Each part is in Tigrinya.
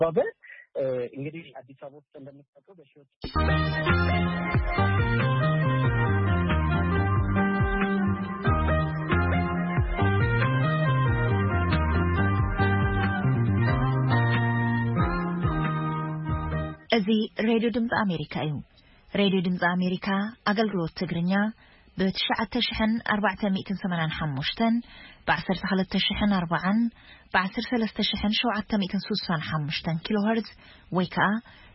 ባበ እንግዲህ አዲስ አበባ ውስጥ እንደምታውቀው በሺዎች እዚ ሬድዮ ድምፂ ኣሜሪካ እዩ። ሬድዮ ድምፂ ኣሜሪካ ኣገልግሎት ትግርኛ ብ ትሽዓተ ሽሕን ኣርባዕተ ሚእትን ሰማንያን ሓሙሽተን፣ ብ ዓሰርተ ክልተ ሽሕን ኣርባዓን፣ ብ ዓሰርተ ሰለስተ ሽሕን ሸውዓተ ሚእትን ስሳን ሓሙሽተን ኪሎ ሄርዝ ወይ ከዓ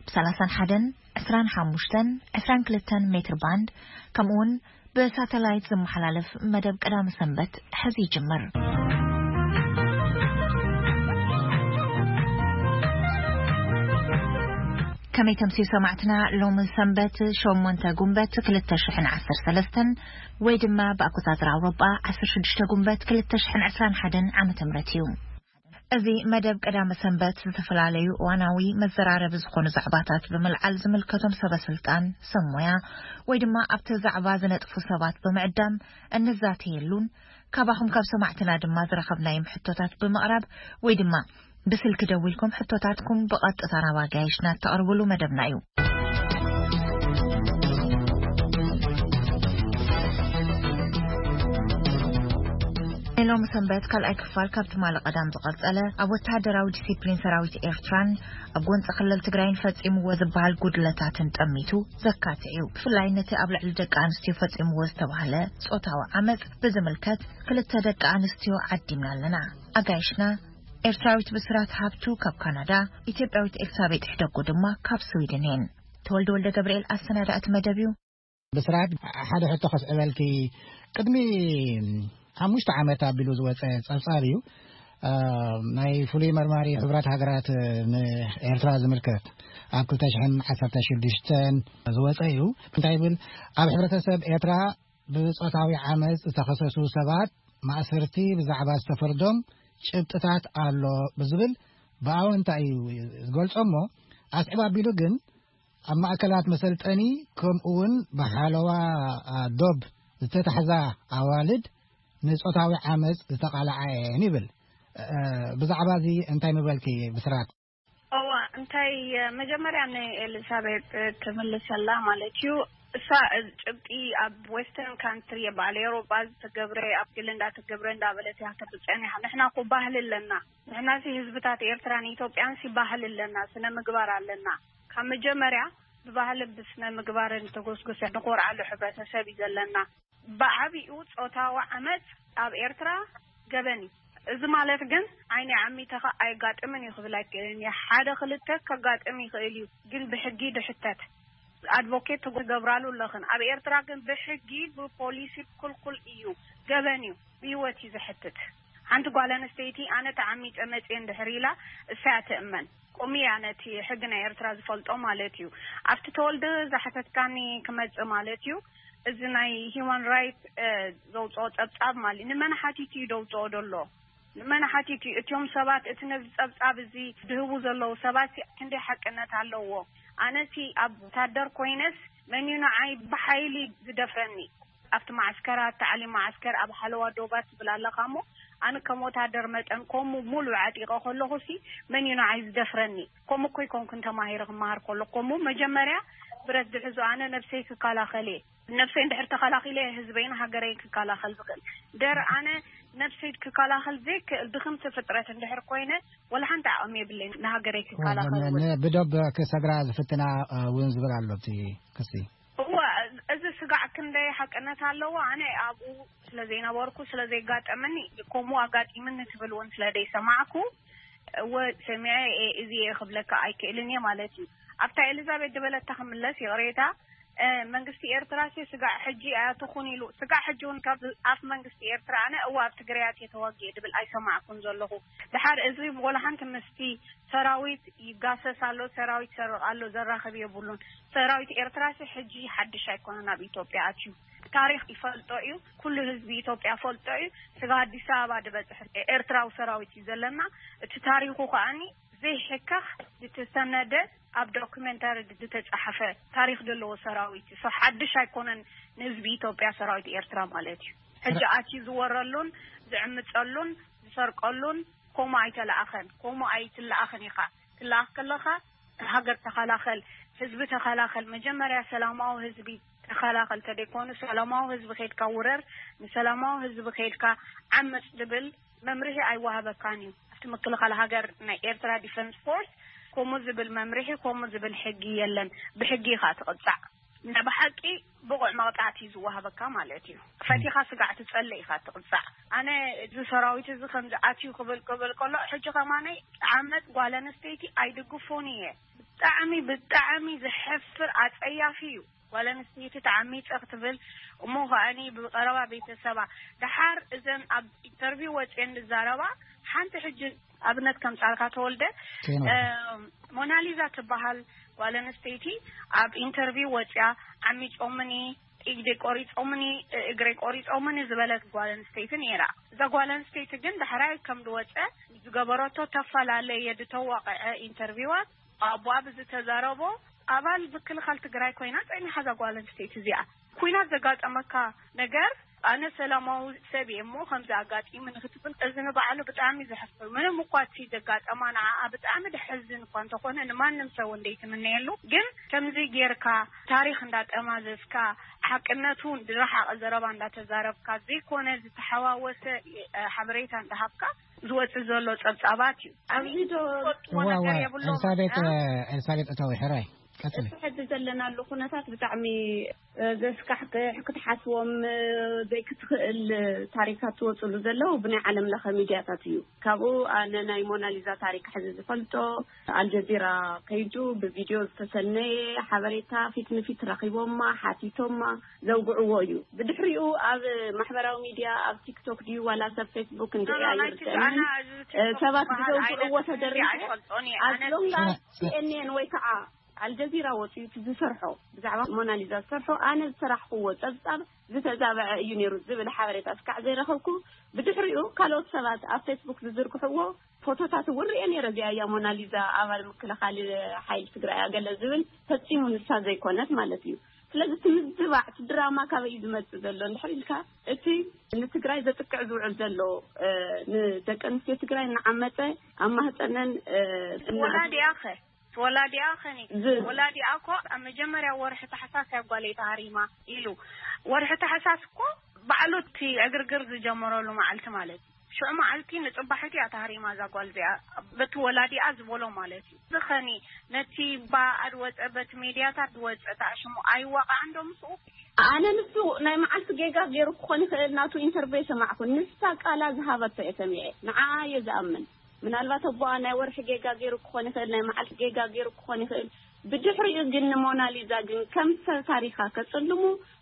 ብ ሰላሳን ሓደን፣ ዕስራን ሓሙሽተን፣ ዕስራን ክልተን ሜትር ባንድ፣ ከምኡ እውን ብሳተላይት ዝመሓላለፍ መደብ ቀዳሚ ሰንበት ሕዚ ይጅምር። ከመይ ተምስዩ ሰማዕትና? ሎሚ ሰንበት ሸሞንተ ጉንበት ክልተ ሽሕን ዓሰርተ ሰለስተን ወይ ድማ ብኣቆጻጽራ ኣውሮጳ ዓሰርተ ሽዱሽተ ጉንበት ክልተ ሽሕን ዕስራን ሓደን ዓመተ ምህረት እዩ። እዚ መደብ ቀዳሚ ሰንበት ዝተፈላለዩ እዋናዊ መዘራረቢ ዝኾኑ ዛዕባታት ብምልዓል ዝምልከቶም ሰበ ስልጣን፣ ሰብ ሞያ ወይ ድማ ኣብቲ ዛዕባ ዝነጥፉ ሰባት ብምዕዳም እንዛተየሉን ካባኹም ካብ ሰማዕትና ድማ ዝረኸብናዮም ሕቶታት ብምቕራብ ወይ ድማ ብስልኪ ደዊልኩም ሕቶታትኩም ብቐጥታ ናብ ኣጋይሽና እተቕርብሉ መደብና እዩ። ናይ ሎሚ ሰንበት ካልኣይ ክፋል ካብ ትማሊ ቀዳም ዝቐጸለ ኣብ ወተሃደራዊ ዲሲፕሊን ሰራዊት ኤርትራን ኣብ ጎንፂ ክልል ትግራይን ፈጺምዎ ዝበሃል ጉድለታትን ጠሚቱ ዘካትዕ እዩ። ብፍላይ ነቲ ኣብ ልዕሊ ደቂ ኣንስትዮ ፈጺምዎ ዝተባህለ ጾታዊ ዓመፅ ብዝምልከት ክልተ ደቂ ኣንስትዮ ዓዲምና ኣለና። ኣጋይሽና ኤርትራዊት ብስራት ሃብቱ ካብ ካናዳ፣ ኢትዮጵያዊት ኤልሳቤጥ ሕደጎ ድማ ካብ ስዊድን እየን። ተወልደ ወልደ ገብርኤል ኣሰናዳእቲ መደብ እዩ። ብስራት፣ ሓደ ሕቶ ከስዕበልኪ። ቅድሚ ሓሙሽተ ዓመት ኣቢሉ ዝወፀ ፀብፃብ እዩ። እ፣ ናይ ፍሉይ መርማሪ ሕቡራት ሃገራት ንኤርትራ ዝምልከት ኣብ ክልተ ሽሕን ዓሰርተ ሽዱሽተን ዝወፀ እዩ። እንታይ ይብል? ኣብ ሕብረተሰብ ኤርትራ ብጾታዊ ዓመፅ ዝተኸሰሱ ሰባት ማእሰርቲ ብዛዕባ ዝተፈርዶም ጭብጥታት ኣሎ ብዝብል ብኣወንታ እዩ ዝገልጾ እሞ፣ ኣስዕብ ኣቢሉ ግን ኣብ ማእከላት መሰልጠኒ ከምኡ እውን ብሓለዋ ዶብ ዝተታሕዛ ኣዋልድ ንጾታዊ ዓመፅ ዝተቓልዓ እየን ይብል። እ፣ ብዛዕባ እዚ እንታይ ምበልኪ ብስራት? እዋ፣ እንታይ፣ መጀመርያ ንኤሊዛቤት ትምልሰላ ማለት እዩ። እሳ ጭብጢ ኣብ ዌስተርን ካንትሪ፣ ኣብ በዓል ኤውሮጳ ዝተገብረ፣ ኣብ ገለ እንዳተገብረ እንዳበለት እያ ተብፀን እያ። ንሕና እኮ ባህሊ ኣለና። ንሕናሲ ህዝብታት ኤርትራን ኢትዮጵያንሲ ባህሊ ኣለና፣ ስነ ምግባር ኣለና። ካብ መጀመርያ ብባህልን ብስነ ምግባርን ተጎስጉሰ ንኮርዓሉ ሕብረተሰብ እዩ ዘለና። ብዓቢኡ ጾታዊ ዓመጽ ኣብ ኤርትራ ገበን እዩ። እዚ ማለት ግን ዓይኒ ዓሚተኻ ኣየጋጥምን እዩ ክብል ኣይክእልን እየ። ሓደ ክልተ ከጋጥም ይኽእል እዩ፣ ግን ብሕጊ ድሕተት። ኣድቮኬት ትገብራሉ ኣለኽን። ኣብ ኤርትራ ግን ብሕጊ ብፖሊሲ ክልኩል እዩ፣ ገበን እዩ፣ ብህይወት እዩ ዘሕትት። ሓንቲ ጓል ኣንስተይቲ ኣነ ተዓሚጸ መጽየ እንድሕር ኢላ እሳ እያ ትእመን። ከምኡ እያ ነቲ ሕጊ ናይ ኤርትራ ዝፈልጦ ማለት እዩ። ኣብቲ ተወልደ ዝሓተትካኒ ክመጽእ ማለት እዩ። እዚ ናይ ሂውማን ራይት ዘውፅኦ ፀብፃብ ማለት ንመን ሓቲቱ እዩ ደውፅኦ ደሎ? ንመን ሓቲቱ እዩ? እቲዮም ሰባት እቲ ነዚ ፀብፃብ እዚ ድህቡ ዘለዉ ሰባት ክንደይ ሓቅነት ኣለዎ? ኣነሲ ኣብ ወታደር ኮይነስ መን እዩ ንዓይ ብሓይሊ ዝደፍረኒ? ኣብቲ ማዓስከራት ታዕሊም ማዓስከር ኣብ ሓለዋ ዶባት ትብል ኣለኻ እሞ ኣነ ከም ወታደር መጠን ከምኡ ሙሉእ ዓጢቐ ከለኹ ሲ መን እዩ ንዓይ ዝደፍረኒ? ከምኡ እኮ ይኮንኩን ተማሂረ ክመሃር ከለኹ ከምኡ መጀመርያ ብረት ዝሕዙ ኣነ ነብሰይ ክከላኸል እየ። ነብሰይ እንድሕር ተኸላኺለ ህዝበይን ሃገረይን ክከላኸል ዝኽእል። ደር ኣነ ነብሰይ ክከላኸል ዘይክእል ድኽምቲ ፍጥረት እንድሕር ኮይነ ወላ ሓንቲ ዓቕሚ የብለይን ንሃገረይ ክከላኸል እውን። ብዶብ ክሰግራ ዝፍትና እውን ዝብል ኣሎ እቲ ክሲ። እወ፣ እዚ ስጋዕ ክንደይ ሓቅነት ኣለዎ ኣነ ኣብኡ ስለ ዘይነበርኩ ስለ ዘይጋጠመኒ ከምኡ ኣጋጢምኒ ትብል እውን ስለ ዘይሰማዕኩ እወ ሰሚዐ እየ እዚ እየ ክብለካ ኣይክእልን እየ ማለት እዩ። ኣብታ ኤሊዛቤት ዝበለታ ክምለስ ይቕሬታ። መንግስቲ ኤርትራ ሲ ስጋዕ ሕጂ ኣያትኹን ኢሉ ስጋዕ ሕጂ እውን ካብ ኣፍ መንግስቲ ኤርትራ ኣነ እወ ኣብ ትግራያት እየ ተዋጊኤ ድብል ኣይሰማዕኩን ዘለኹ። ድሓር እዚ ወላ ሓንቲ ምስቲ ሰራዊት ይጋሰስ ኣሎ፣ ሰራዊት ይሰርቕ ኣሎ ዘራኽብ የብሉን። ሰራዊት ኤርትራ ሲ ሕጂ ሓድሽ ኣይኮነን ኣብ ኢትዮጵያ ኣትዩ። ታሪኽ ይፈልጦ እዩ፣ ኩሉ ህዝቢ ኢትዮጵያ ፈልጦ እዩ። ስጋ ኣዲስ ኣበባ ዝበፅሕ ኤርትራዊ ሰራዊት እዩ ዘለና። እቲ ታሪኹ ከኣኒ ዘይሕከኽ ዝተሰነደ ኣብ ዶክመንታሪ ዝተፃሓፈ ታሪኽ ዘለዎ ሰራዊት እዩ። ሓድሽ ኣይኮነን ንህዝቢ ኢትዮጵያ ሰራዊት ኤርትራ ማለት እዩ። ሕጂ ኣትዩ ዝወረሉን ዝዕምፀሉን ዝሰርቀሉን ከምኡ ኣይተለኣኸን፣ ከምኡ ኣይትለኣኸን ኢኻ። ትለኣኽ ከለኻ፣ ሃገር ተኸላኸል፣ ህዝቢ ተኸላኸል፣ መጀመርያ ሰላማዊ ህዝቢ ተኸላኸል፣ ተደይኮኑ ሰላማዊ ህዝቢ ከይድካ ውረር፣ ንሰላማዊ ህዝቢ ከይድካ ዓመፅ ዝብል መምርሒ ኣይወሃበካን እዩ። ኣብቲ ምክልኻል ሃገር ናይ ኤርትራ ዲፈንስ ፎርስ ከምኡ ዝብል መምርሒ፣ ከምኡ ዝብል ሕጊ የለን። ብሕጊ ኢኻ ትቕጻዕ። ናይ ብሓቂ ብቑዕ መቕጻዕቲ እዩ ዝወሃበካ ማለት እዩ። ፈቲኻ ስጋዕ ትጸልእ ኢኻ ትቕጻዕ። ኣነ እዚ ሰራዊት እዚ ከምዚ ኣትዩ ክብል ክብል ከሎ፣ ሕጂ ከማነይ ዓመት ጓል ኣንስተይቲ ኣይድግፎን እየ። ብጣዕሚ ብጣዕሚ ዘሕፍር ኣጸያፊ እዩ። ጓል ኣንስተይቲ ተዓሚጸ ክትብል፣ እሞ ከኣኒ ብቐረባ ቤተሰባ። ደሓር እዘን ኣብ ኢንተርቪው ወጽየን ዝዛረባ፣ ሓንቲ ሕጂ ኣብነት ከምጻልካ ተወልደ፣ ከይኖ እ፣ ሞናሊዛ ትበሃል ጓል ኣንስተይቲ ኣብ ኢንተርቪው ወጽያ፣ ዓሚጾምኒ፣ ኢግደይ ቆሪጾምኒ፣ እግረይ ቆሪጾምኒ ዝበለት ጓል ኣንስተይቲ ነይራ። እዛ ጓል ኣንስተይቲ ግን ዳሕራይ ከም ዝወጸ ዝገበረቶ ተፈላለየ፣ ዝተዋቕዐ ኢንተርቪዋት፣ ኣቦኣ ብዝተዛረቦ፣ ኣባል ምክልኻል ትግራይ ኮይና ጸኒሓ እዛ ጓል ኣንስተይቲ እዚኣ። ኩናት ዘጋጠመካ ነገር፣ ኣነ ሰላማዊ ሰብ እየ እሞ ከምዚ ኣጋጢሙኒ ክትብል፣ እዚ ንባዕሉ ብጣዕሚ ዘሕፍር። ምንም እኳ እቲ ዘጋጠማ ንዓኣ ብጣዕሚ ደሕዝን እኳ እንተኾነ፣ ንማንም ሰብ እውን ዘይትምነየሉ። ግን ከምዚ ጌርካ ታሪኽ እንዳጠማዘዝካ፣ ሓቅነቱ ዝረሓቐ ዘረባ እንዳተዛረብካ፣ ዘይኮነ ዝተሓዋወሰ፣ እ፣ ሓበሬታ እንዳሃብካ ዝወጽእ ዘሎ ጸብጻባት እዩ። ኣብዚ ዶ ትፈልጥዎ እዋ፣ ነገር እዋ፣ የብሎም? ኤልሳቤጥ፣ እ? ኤልሳቤጥ እታዊ፣ ሕራይ፣ ቀጽሊ። እቲ ሕዚ ዘለናሉ ኩነታት ብጣዕሚ፣ እ፣ ዘስካሕክሕ፣ ክትሓስቦም፣ እ፣ ዘይክትኽእል፣ እ፣ ታሪካት ዝወፅሉ ዘለዉ ብናይ ዓለም ለኸ ሚድያታት እዩ። ካብኡ ኣነ ናይ ሞናሊዛ ታሪክ ሕዚ ዝፈልጦ፣ ኣልጀዚራ ከይዱ ብቪድዮ ዝተሰነየ ሓበሬታ፣ ፊት ንፊት ረኺቦማ፣ ሓቲቶማ ዘውግዕዎ እዩ። ብድሕሪኡ ኣብ ማሕበራዊ ሚድያ፣ ኣብ ቲክቶክ ድዩ ዋላ ሰብ ፌስቡክ እንድዒ ኣይርድአንን፣ እ፣ ሰባት ብዘውግዕዎ ተደሪኸ፣ ኣዝሎም ላ ሲኤንኤን ወይ ከዓ ኣልጀዚራ ወፂኡ እቲ ዝሰርሖ፣ ብዛዕባ ሞናሊዛ ዝሰርሖ፣ ኣነ ዝሰራሕክዎ ፀብፃብ ዝተዛበዐ እዩ ነይሩ ዝብል ሓበሬታ እስካዕ ዘይረኸብኩ፣ ብድሕሪኡ ካልኦት ሰባት ኣብ ፌስቡክ ዝዝርግሕዎ ፎቶታት እውን ርኤ ነይረ። እዚኣ እያ ሞናሊዛ፣ ኣባል ምክልኻል ሓይሊ ትግራይ እያ፣ ገለ ዝብል፣ ፈፂሙ ንሳ ዘይኮነት ማለት እዩ። ስለዚ እቲ ምዝባዕ፣ እቲ ድራማ ካበይ እዩ ዝመፅእ ዘሎ እንድሕር ኢልካ፣ እቲ ንትግራይ ዘጥቅዕ ዝውዕል ዘሎ፣ እ፣ ንደቂ ኣንስትዮ ትግራይ እናዓመፀ ኣብ ማህፀነን፣ እ፣ እና- ወላዲኣ ኸ? ወላዲኣ ኸኒ? ዝ- ወላዲኣ እኮ ኣብ መጀመርያ ወርሒ ታሕሳስ እያ ጓለይ ተሃሪማ ኢሉ። ወርሒ ታሕሳስ እኮ ባዕሉ እቲ ዕግርግር ዝጀመረሉ መዓልቲ ማለት እዩ። ሽዑ መዓልቲ ንጽባሒቱ እያ ተሃሪማ እዛ ጓል እዚኣ፣ በቲ ወላዲኣ ዝበሎ ማለት እዩ። እዚ ኸኒ ነቲ ብኣኣ ዝወጸ፣ በቲ ሜድያታት ዝወጸ ተኣሽሙ ኣይዋቃዕን ዶ ምስኡ? ኣነ ንሱ ናይ መዓልቲ ጌጋ ገይሩ ክኾን ይኽእል፣ ናቱ ኢንተርቪው የሰማዕኩ። ንሳ ቃላ ዝሃበቶ እየ ሰሚዐ። ንዓኣ እየ ዝኣምን። ምናልባት ኣቦኣ ናይ ወርሒ ጌጋ ገይሩ ክኾን ይኽእል፣ ናይ መዓልቲ ጌጋ ገይሩ ክኾን ይኽእል። ብድሕሪኡ ግን ንሞናሊዛ ግን ከም ሰብ ታሪኻ ከጽልሙ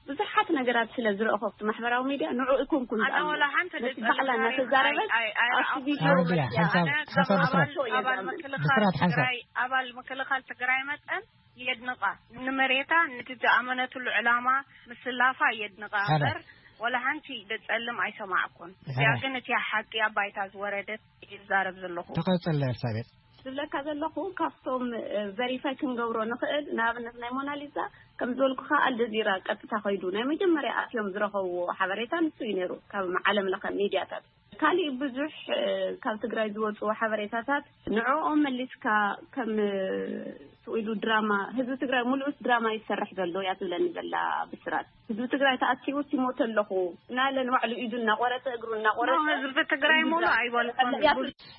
ብዙሓት ነገራት ስለ ዝረእኹ ኣብቲ ማሕበራዊ ሚድያ ንዕኡ ኣይኮንኩን ኣነ ዝኣምን። ወላ ሓንቲ ነቲ ዝጸልም ባዕላ ታሪኽ እናተዛረበት ኣይ-፣ ኣይ-፣ ኣብቲ ኣይረኣኹን። ቪድዮ ኣረድያ፣ መጽያ ሓንሳብ፣ ኣነ ሓንሳብ ከም ብስራት። ኣባል፣ ኣባል ብስራት፣ ምክልኻል ሓንሳብ። ትግራይ፣ ኣባል ምክልኻል ትግራይ መጠን የድንቓ። ንመሬታ፣ ነቲ ዝኣመነትሉ ዕላማ ምስላፋ የድንቓ ሓራይ። እምበር፣ ወላ ሓንቲ ደጸልም ኣይሰማዕኩን። እዚኣ ሓራይ። ግን እቲ ሓቂ ኣብ ባይታ ዝወረደት እየ ዝዛረብ ዘለኹ። ተቐጽል ኤልሳቤጥ። ዝብለካ ዘለኹ፣ ካብቶም፣ እ፣ ቨሪፋይ ክንገብሮ ንኽእል፣ ንኣብነት ናይ ሞናሊዛ፣ ከም ዝበልኩኻ፣ ኣልጀዚራ ቀጥታ ኸይዱ ናይ መጀመርያ ኣትዮም ዝረኸብዎ ሓበሬታ ንሱ እዩ ነይሩ፣ ካብ ዓለም ለኸ ሚድያታት። ካሊእ ብዙሕ፣ እ፣ ካብ ትግራይ ዝወፁ ሓበሬታታት ንዕኦም መሊስካ ከም፣ እ፣ ስቕ ኢሉ ድራማ፣ ህዝቢ ትግራይ ሙሉእስ ድራማ ይሰርሕ ዘሎ እያ ትብለኒ ዘላ ብስራት። ህዝቢ ትግራይ ተኣኪቡ ሲሞት ኣለኹ እናለ ንባዕሉ ኢዱ እናቆረፀ፣ እግሩ እናቆረፀ፣ ኖ፣ ህዝቢ ትግራይ ሙሉ ኣይበልኩን።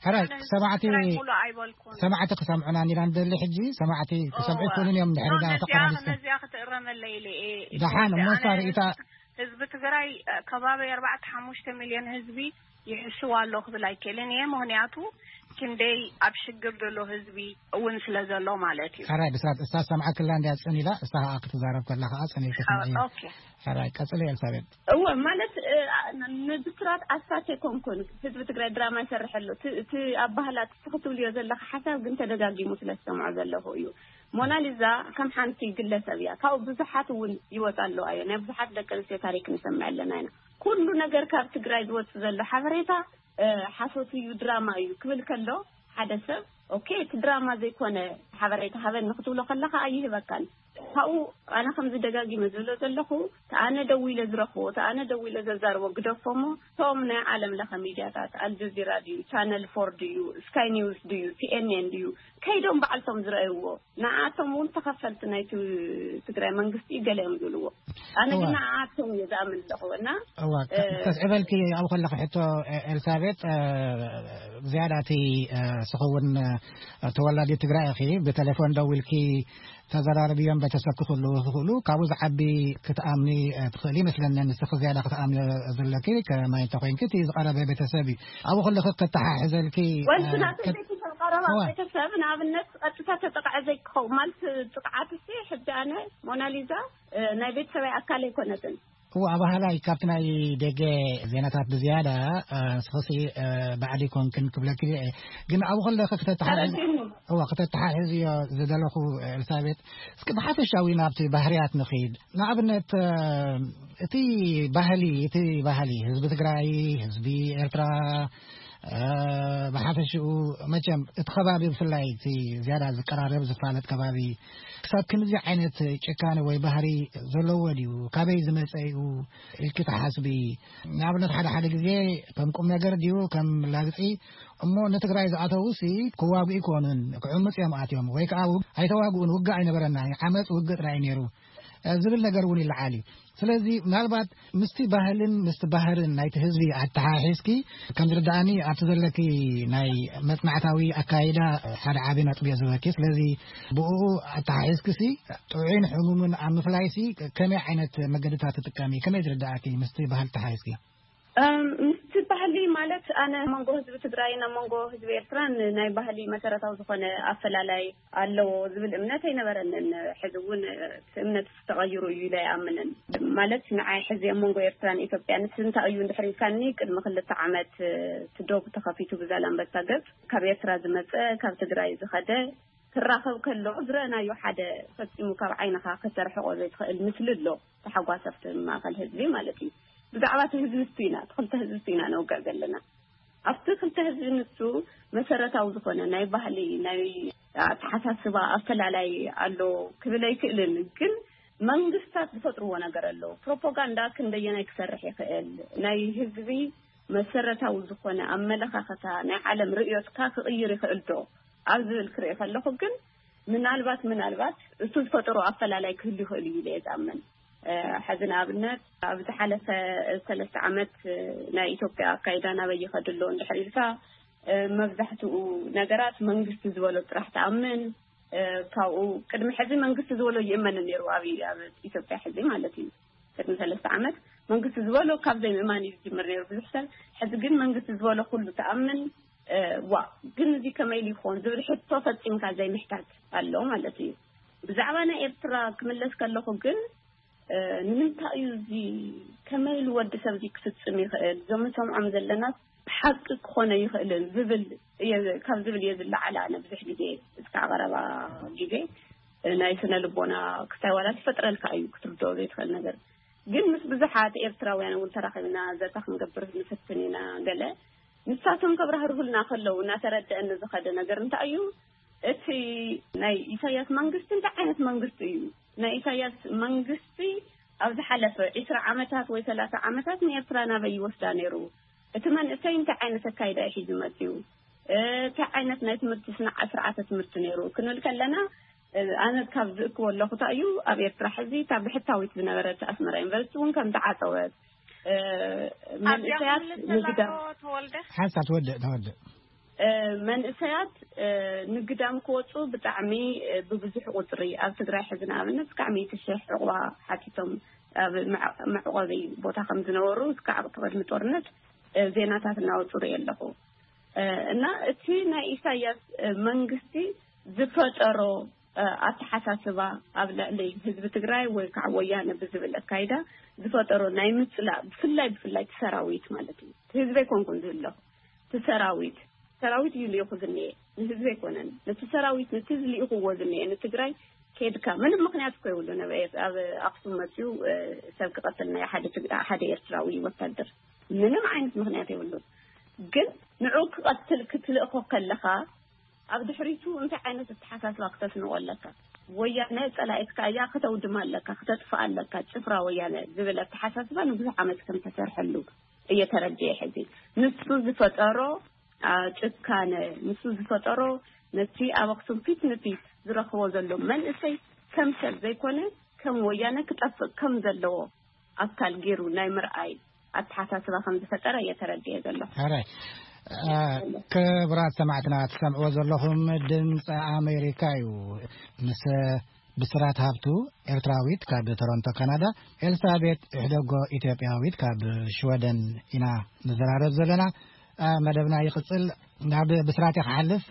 ሕራይ፣ ሰማዕቲ፣ ትግራይ ሙሉ ኣይበልኩን። ሰማዕቲ ክሰምዑና ኢና ንደሊ ሕጂ። ሰማዕቲ ክሰምዑ እወ። ይኽእሉን እዮም፣ ድሕሪ ኖ፣ ዳ ነዚኣ፣ ተቆራሪስና። ነዚኣ ክትእረመለይ ኢለ እየ። ደሓን፣ እሞ እሳ ኣነ ርእይታ ህዝቢ ትግራይ፣ እ፣ ከባቢ ኣርባዕተ ሓሙሽተ ሚልዮን ህዝቢ ይሕስው ኣሎ ክብል ኣይክእልን እየ። ምኽንያቱ ክንደይ ኣብ ሽግር ዘሎ ህዝቢ እውን ስለ ዘሎ ማለት እዩ። ሕራይ፣ ብስራት፣ እሳ ሰምዓክላ እንድያ ጽን ኢላ፣ እሳ ኸኣ ክትዛረብ ከላ ኸኣ ጽን ኢልካ ስምዒ። ኦኬ። ሕራይ፣ ቀጽሊ ኤልሳቤጥ። እወ፣ ማለት፣ እ፣ ን-፣ ንብስራት ኣሳት ኣይኮንኩን። ህዝቢ ትግራይ ድራማ ይሰርሕ ኣሎ። እቲ፣ እቲ ኣባህላ፣ እቲ ክትብልዮ ዘለኻ ሓሳብ ግን ተደጋጊሙ ስለ ዝሰምዖ ዘለኹ እዩ። ሞናሊዛ ከም ሓንቲ ግለሰብ እያ። ካብኡ ብዙሓት እውን ይወጻ ኣለዋ እየ። ናይ ብዙሓት ደቂ ኣንስትዮ ታሪክ ንሰምዕ ኣለና ኢና። ኩሉ ነገር ካብ ትግራይ ዝወጽእ ዘሎ ሓበሬታ፣ እ፣ ሓሶት እዩ፣ ድራማ እዩ ክብል ከሎ፣ ሓደ ሰብ፣ ኦኬ፣ እቲ ድራማ ዘይኮነ ሓበሬታ ሃበኒ ክትብሎ ከለኻ ኣይህበካን። ካብኡ ኣነ ከምዚ ደጋጊመ ዝብሎ ዘለኹ፣ ተኣነ ደው ኢለ ዝረኽቦ፣ ተኣነ ደው ኢለ ዘዛርቦ ግደፎ እሞ፣ እቶም ናይ ዓለም ለኸ ሚድያታት፣ ኣልጀዚራ ድዩ፣ ቻነል ፎር ድዩ፣ ስካይ ኒውስ ድዩ፣ ሲኤንኤን ድዩ፣ ከይዶም ባዕልቶም ዝረእይዎ፣ ንዓቶም እውን ተኸፈልቲ ናይቲ ትግራይ መንግስቲ እዩ ገለ እዮም ዝብልዎ። ኣነ ግን እዋ። ንዓቶም እየ ዝኣምን ኣለኹ እና እዋ፣ ከ-፣ እ፣ ከስዕበልኪ ኣብኡ ከለኺ ሕቶ፣ እ፣ ኤልሳቤጥ፣ እ፣ ዝያዳ እቲ፣ እ፣ ስኽውን፣ እ፣ ተወላዲ ትግራይ ኢኺ፣ ብቴሌፎን ደዊልኪ ተዘራርብዮም ቤተሰብ ክኽእሉ ክኽእሉ፣ ካብኡ ዝዓቢ ክትኣምኒ፣ እ፣ ትኽእሊ ይመስለኒ። ንስኺ ዝያዳ ክትኣምኒ ዘለኪ ከማይ እንተኾይንኪ እቲ ዝቐረበ ቤተሰብ እዩ። ኣብኡ ከለኺ ከተሓሕዘልኪ፣ ወንቱ እ፣ ናተይ ከ-፣ ቤተሰብ ቀረባ እዋ። ቤተሰብ ንኣብነት ቀጥታ ተጠቕዐ ዘይክኸውን ማለት ጥቕዓት እሲ ሕጂ ኣነ ሞናሊዛ፣ እ፣ ናይ ቤተሰበይ ኣካል ኣይኮነትን። እዋ፣ ኣባህላይ ካብቲ ናይ ደገ ዜናታት ብዝያዳ፣ እ፣ ንስኽሲ፣ እ፣ ባዕዲ ኮንክን ክብለኪ እየ። ግን ኣብኡ ከለኺ ክተተሓሕዝ-፣ ተረዲእኒ። እዋ፣ ክተተሓሕዝዮ ዝደለኹ፣ እ፣ ኤልሳቤጥ፣ እስኪ ብሓፈሻዊ ናብቲ ባህርያት ንኺድ። ንኣብነት፣ እ፣ እቲ ባህሊ፣ እቲ ባህሊ ህዝቢ ትግራይ፣ ህዝቢ ኤርትራ፣ እ፣ ብሓፈሽኡ መቸም እቲ ከባቢ ብፍላይ እቲ ዝያዳ ዝቀራረብ ዝፋለጥ ከባቢ ክሳብ ክንዚ ዓይነት ጭካነ ወይ ባህሪ ዘለዎ ድዩ? ካበይ ዝመጸ እዩ ኢልኪ ትሓስቢ? ንኣብነት ሓደ ሓደ ግዜ ከም ቁም ነገር ድዩ ከም ላግጺ እሞ ንትግራይ ዝኣተውሲ ክዋግኡ ይኮኑን ክዕምጽ እዮም ኣትዮም ወይ ከዓ ውግ-፣ ኣይተዋግኡን ውግእ ኣይነበረና ዓመፅ ውግእ ጥራይ ነይሩ፣ እ፣ ዝብል ነገር እውን ይለዓል እዩ። ስለዚ ምናልባት ምስቲ ባህልን ምስቲ ባህርን ናይቲ ህዝቢ ኣተሓሒዝኪ ከም ዝርድኣኒ ኣብቲ ዘለኪ ናይ መጽናዕታዊ ኣካይዳ ሓደ ዓቢ ነጥቢ እየ ዝህበኪ። ስለዚ ብኡ ኣተሓሒዝኪሲ ጥዑይን ሕሙምን ኣብ ምፍላይሲ ከመይ ዓይነት መገድታት ትጥቀሚ? ከመይ ዝርድኣኪ ምስቲ ባህል ኣተሓሒዝኪ? እም፣ ምስቲ ባህሊ ማለት ኣነ መንጎ ህዝቢ ትግራይን ኣብ መንጎ ህዝቢ ኤርትራን ናይ ባህሊ መሰረታዊ ዝኾነ ኣፈላላይ ኣለዎ ዝብል እምነት ኣይነበረንን። ሕዚ እውን እቲ እምነት ተቐይሩ እዩ ኢለ ኣይኣምንን። ማለት ንዓይ ሕዚ ኣብ መንጎ ኤርትራን ኢትዮጵያን እቲ እንታይ እዩ እንድሕር ኢልካኒ፣ ቅድሚ ክልተ ዓመት እቲ ዶብ ተኸፊቱ ብዛላምበሳ ገጽ ካብ ኤርትራ ዝመጸ፣ ካብ ትግራይ ዝኸደ ክራኸብ ከሎ ዝረኣናዮ ሓደ ፈጺሙ ካብ ዓይንኻ ከተርሕቆ ዘይትኽእል ምስሊ ኣሎ። ተሓጓሰፍቲ ማእከል ህዝቢ ማለት እዩ። ብዛዕባ እቲ ህዝቢ ንሱ ኢና፣ እቲ ክልተ ህዝቢ ንሱ ኢና ነውግዕ ዘለና። ኣብቲ ክልተ ህዝቢ ንሱ መሰረታዊ ዝኾነ ናይ ባህሊ፣ ናይ ኣተሓሳስባ ኣፈላላይ ኣሎ ክብል ኣይክእልን። ግን መንግስታት ዝፈጥርዎ ነገር ኣሎ። ፕሮፓጋንዳ ክንደየናይ ክሰርሕ ይኽእል? ናይ ህዝቢ መሰረታዊ ዝኾነ ኣመለኻኽታ፣ ናይ ዓለም ርእዮትካ ክቕይር ይኽእል ዶ? ኣብ ዝብል ክርኢ ከለኹ ግን ምናልባት፣ ምናልባት እሱ ዝፈጠሮ ኣፈላላይ ክህሉ ይኽእል እዩ ኢለ እየ ዝኣምን። እ፣ ሕዚ ንኣብነት ኣብ ዝሓለፈ ሰለስተ ዓመት፣ እ፣ ናይ ኢትዮጵያ ኣካይዳ ናበይ ይኸድ ኣሎ እንድሕር ኢልካ፣ እ፣ መብዛሕትኡ ነገራት መንግስቲ ዝበሎ ጥራሕ ትኣምን። እ፣ ካብኡ ቅድሚ ሕዚ መንግስቲ ዝበሎ ይእመን ነይሩ ኣብ፣ ኣብ ኢትዮጵያ ሕዚ ማለት እዩ። ቅድሚ ሰለስተ ዓመት መንግስቲ ዝበሎ ካብ ዘይምእማን እዩ ዝጅምር ነይሩ ብዙሕ ሰብ። ሕዚ ግን መንግስቲ ዝበሎ ኩሉ ትኣምን። እ፣ ዋ፣ ግን እዚ ከመይ ኢሉ ይኾን ዝብል ሕቶ ፈጺምካ ዘይምሕታት ኣሎ ማለት እዩ። ብዛዕባ ናይ ኤርትራ ክምለስ ከለኹ ግን፣ እ፣ ንምንታይ እዩ እዚ፣ ከመይ ኢሉ ወዲ ሰብ እዚ ክፍጽም ይኽእል? እዞም ንሰምዖም ዘለና ሓቂ ክኾነ ይኽእልን ዝብል እየ፣ ካብ ዝብል እየ ዝለዓል። ኣነ ብዙሕ ግዜ እስካዕ ቀረባ ግዜ፣ እ፣ ናይ ስነ ልቦና ክስታይ ዋላ ዝፈጥረልካ እዩ ክትርድኦ ዘይትኽእል ነገር። ግን ምስ ብዙሓት ኤርትራውያን እውን ተራኺብና ዘተ ክንገብር ንፍትን ኢና። ገለ ንሳቶም ከብራህርሁልና ከለዉ እናተረደአኒ ዝኸደ ነገር እንታይ እዩ፣ እቲ ናይ ኢሳያስ መንግስቲ እንታይ ዓይነት መንግስቲ እዩ? ናይ ኢሳያስ መንግስቲ ኣብ ዝሓለፈ ዒስራ ዓመታት ወይ ሰላሳ ዓመታት ንኤርትራ ናበይ ይወስዳ ነይሩ? እቲ መንእሰይ እንታይ ዓይነት ኣካይዳ እዩ ሒዙ መፅዩ? እ፣ እንታይ ዓይነት ናይ ትምህርቲ ስነ-፣ ስርዓተ ትምህርቲ ነይሩ ክንብል ከለና፣ እ፣ ኣነ ካብ ዝእክቦ ኣለኹ እንታይ እዩ፣ ኣብ ኤርትራ ሕዚ እታ ብሕታዊት ዝነበረት ኣስመራ ዩኒቨርሲቲ እውን ከም ተዓፀወት፣ እ፣ ኣብዚኣ መንእሰያት ክምልስ ንግዳ-፣ ዘለኹ ተወልደ። ሓንሳብ ተወድእ፣ ተወድእ። እ፣ መንእሰያት፣ እ፣ ንግዳም ክወፁ ብጣዕሚ፣ እ፣ ብብዙሕ ቁፅሪ ኣብ ትግራይ ሕዚ ንኣብነት እስካዕ ሚእቲ ሽሕ ዕቑባ ሓቲቶም ኣብ መዕ-፣ መዕቆቢ ቦታ ከም ዝነበሩ እስካዕ ቅድሚ ጦርነት፣ እ፣ ዜናታት እናወፁ ርኢ ኣለኹ። እ፣ እና እቲ ናይ ኢሳያስ፣ እ፣ መንግስቲ ዝፈጠሮ፣ እ፣ ኣተሓሳስባ ኣብ ልዕሊ ህዝቢ ትግራይ ወይ ከዓ ወያነ ብዝብል ኣካይዳ ዝፈጠሮ ናይ ምፅላእ፣ ብፍላይ፣ ብፍላይ እቲ ሰራዊት ማለት እዩ። እቲ ህዝቢ ኣይኮንኩን ዝብለኹ፣ እቲ ሰራዊት፣ ሰራዊት እዩ ልኢኹ ዝኒኤ፣ ንህዝቢ ኣይኮነን። ነቲ ሰራዊት፣ ነቲ ዝልኢኽዎ ዝኒኤ ንትግራይ ከድካ፣ ምንም ምኽንያት እኮ የብሉን። ኣብ ኤር-፣ ኣብ ኣኽሱም መፅዩ፣ እ፣ ሰብ ክቐትል ናይ ሓደ ትግ-፣ ሓደ ኤርትራዊ ወታደር ምንም ዓይነት ምኽንያት የብሉን። ግን ንዑ ክቐትል ክትልእኾ ከለኻ ኣብ ድሕሪቱ እንታይ ዓይነት ኣተሓሳስባ ክተስንቆ ኣለካ? ወያነ ጸላኢትካ እያ፣ ከተውድማ ኣለካ፣ ክተጥፍኣ ኣለካ፣ ጭፍራ ወያነ ዝብል ኣተሓሳስባ ንብዙሕ ዓመት ከም ተሰርሐሉ እየ ተረድኤ። ሕዚ ንሱ ዝፈጠሮ ጭካነ፣ ንሱ ዝፈጠሮ ነቲ ኣብ ኣክሱም ፊት ንፊት ዝረኽቦ ዘሎ መንእሰይ ከም ሰብ ዘይኮነ ከም ወያነ ክጠፍእ ከም ዘለዎ ኣካል ገይሩ ናይ ምርኣይ ኣተሓሳስባ ከም ዝፈጠረ እየ ተረድኤ ዘሎ። ሕራይ። ክቡራት ሰማዕትና፣ ትሰምዕዎ ዘለኹም ድምፂ ኣሜሪካ እዩ። ምስ ብስራት ሃብቱ፣ ኤርትራዊት ካብ ቶሮንቶ ካናዳ፣ ኤልሳቤጥ ሕደጎ፣ ኢትዮጵያዊት ካብ ሽወደን ኢና ንዘራረብ ዘለና። መደብና ይቕፅል። ናብ ብስራት ክሓልፍ፣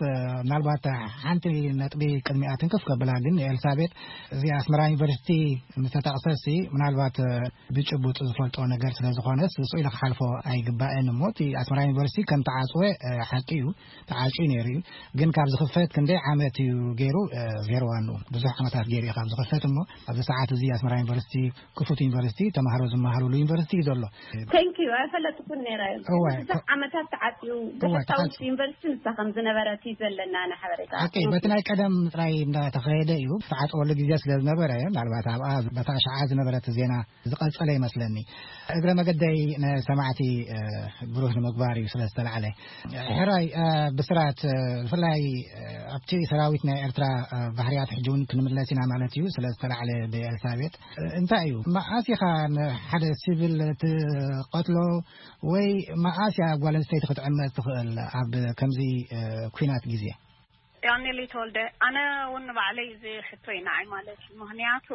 ምናልባት ሓንቲ ነጥቢ ቅድሚኣ ትንክፍ ከብላ ግን፣ ኤልሳቤጥ፣ እዚ ኣስመራ ዩኒቨርሲቲ ምስተጠቕሰሲ፣ ምናልባት ብጭቡጥ ዝፈልጦ ነገር ስለ ዝኾነስ፣ ስቕ ኢለ ክሓልፎ ኣይግባእን። እሞ እቲ ኣስመራ ዩኒቨርሲቲ ከም ተዓፅወ ሓቂ እዩ፣ ተዓፅዩ ነይሩ እዩ። ግን ካብ ዝኽፈት ክንደይ ዓመት እዩ ገይሩ? ዜሮ ዋን ብዙሕ ዓመታት ገይሩ እዩ ካብ ዝኽፈት። እሞ ኣብዚ ሰዓት እዚ ኣስመራ ዩኒቨርሲቲ ክፉት ዩኒቨርሲቲ፣ ተማሃሮ ዝመሃሩሉ ዩኒቨርሲቲ እዩ ዘሎ። Thank you። ኣይፈለጥኩን ነይረ። እወ። ብዙሕ ዓመታት ተዓፅዩ፣ እወ፣ ብሕታዊት ተዓፅዩ። ዩኒቨርሲቲ ንሳ ከም ዝነበረት እዩ ዘለና ሓበሬታ። ሓቂ፣ በቲ ናይ ቀደም ጥራይ እንዳተኸየደ እዩ። ዝተዓፀወሉ ግዜ ስለ ዝነበረ፣ ምናልባት ኣብኣ በታ ሸዓ ዝነበረት ዜና ዝቐጸለ ይመስለኒ። እግረ መገደይ ንሰማዕቲ፣ እ፣ ብሩህ ንምግባር እዩ ስለ ዝተላዕለ። ሕራይ፣ እ፣ ብስራት፣ እ፣ ብፍላይ፣ እ፣ ኣብቲ ሰራዊት ናይ ኤርትራ፣ እ፣ ባህርያት ሕጂ እውን ክንምለስ ኢና ማለት እዩ ስለ ዝተላዕለ ብኤልሳቤጥ። እ፣ እንታይ እዩ? መዓስ ኢኻ ንሓደ ሲቪል ትቐትሎ ወይ መዓስ እያ ጓል ኣንስተይቲ ክትዕመጽ ትኽእል ኣብ ከምዚ፣ እ፣ ኲናት ግዜ? ዳንኤል ተወልደ፣ ኣነ እውን ንባዕለይ እዚ ሕቶ እዩ ንዓይ ማለት እዩ። ምኽንያቱ፣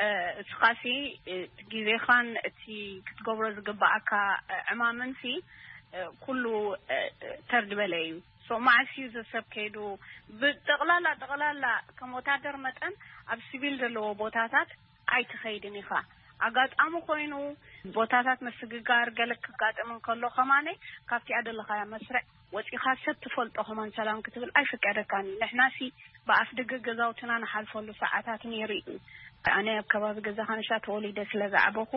እ፣ እስኻሲ፣ እ፣ ግዜኻን እቲ ክትገብሮ ዝግባኣካ፣ እ፣ ዕማምንሲ፣ እ፣ ኩሉ፣ እ፣ ተር ዝበለ እዩ። ሶ መዓስ እዩ እዚ ሰብ ከይዱ ብጠቕላላ፣ ጠቕላላ ከም ወታደር መጠን ኣብ ሲቪል ዘለዎ ቦታታት ኣይትኸይድን ኢኻ። ኣጋጣሚ ኮይኑ ቦታታት ምስግጋር ገለ ክጋጥም እንከሎ ከማነ ካብቲ ኣደለኻያ መስርዕ ወፂኻ ሰብ ትፈልጦ ከማን ሰላም ክትብል ኣይፍቀደካን እዩ። ንሕናሲ ብኣፍ ደገ ገዛውትና ንሓልፈሉ ሰዓታት ነይሩ እዩ። ኣነ ኣብ ከባቢ ገዛኻ ንሻ ተወሊደ ስለ ዝዓበኹ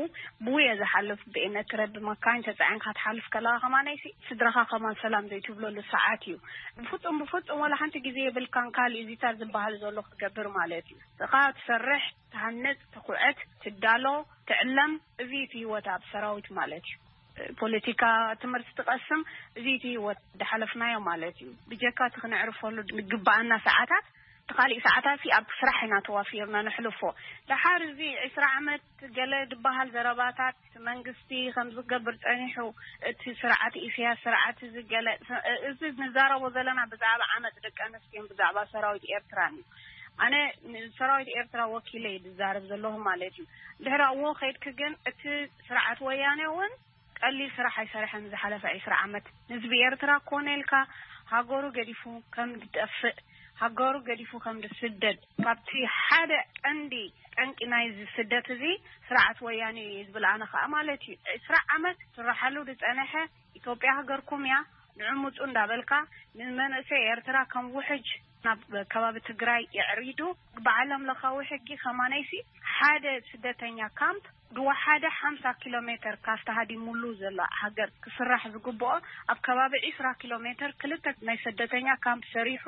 ብኡ እየ ዝሓልፍ። ብኤነትረ ብመካይን ተፃዒንካ ትሓልፍ ከለኻ ከማነይሲ ስድራኻ ከማን ሰላም ዘይትብለሉ ሰዓት እዩ። ብፍፁም ብፍፁም ወላ ሓንቲ ግዜ የብልካን ካልእ እዚታት ዝበሃል ዘሎ ክትገብር ማለት እዩ። እኻ ትሰርሕ፣ ትሃንፅ፣ ትኹዕት፣ ትዳሎ፣ ትዕለም፣ እዚ እቲ ህይወት ኣብ ሰራዊት ማለት እዩ። ፖለቲካ ትምህርቲ ትቐስም፣ እዚ እቲ ህይወት ዝሓለፍናዮ ማለት እዩ። ብጀካ እቲ ክነዕርፈሉ ዝግባኣና ሰዓታት፣ እቲ ካሊእ ሰዓታት ሲ ኣብ ስራሕ ኢና ተዋፊርና ነሕልፎ። ደሓር እዚ ዕስራ ዓመት ገለ ዝበሃል ዘረባታት መንግስቲ ከም ዝገብር ጸኒሑ፣ እቲ ስርዓት ኢሳያስ ስርዓት እዚ ገለ፣ እዚ ንዛረቦ ዘለና ብዛዕባ ዓመጽ ደቂ ኣንስትዮን ብዛዕባ ሰራዊት ኤርትራን እዩ። ኣነ ንሰራዊት ኤርትራ ወኪለ እየ ዝዛረብ ዘለኹ ማለት እዩ። ድሕሪ ኣብኡ ከይድኪ ግን እቲ ስርዓት ወያነ እውን ቀሊል ስራሕ ኣይሰርሐን ዝሓለፈ ዕስራ ዓመት። ህዝቢ ኤርትራ ኮነ ኢልካ ሃገሩ ገዲፉ ከም ዝጠፍእ፣ ሃገሩ ገዲፉ ከም ዝስደድ፣ ካብቲ ሓደ ቀንዲ ጠንቂ ናይዚ ስደት እዚ ስርዓት ወያነ እዩ ዝብል ኣነ ከኣ ማለት እዩ። ዕስራ ዓመት ስራሓሉ ዝጸነሐ ኢትዮጵያ ሃገርኩም እያ፣ ንዑ ምጹ እንዳበልካ ንመንእሰይ ኤርትራ ከም ውሕጅ ናብ ከባቢ ትግራይ የዕሪዱ። ብዓለም ለኻዊ ሕጊ ከማነይሲ ሓደ ስደተኛ ካምፕ ዝወሓደ ሓምሳ ኪሎ ሜትር ካብቲ ሃዲሙሉ ዘሎ ሃገር ክስራሕ ዝግብኦ ኣብ ከባቢ ዕስራ ኪሎ ሜትር ክልተ ናይ ስደተኛ ካምፕ ሰሪሑ፣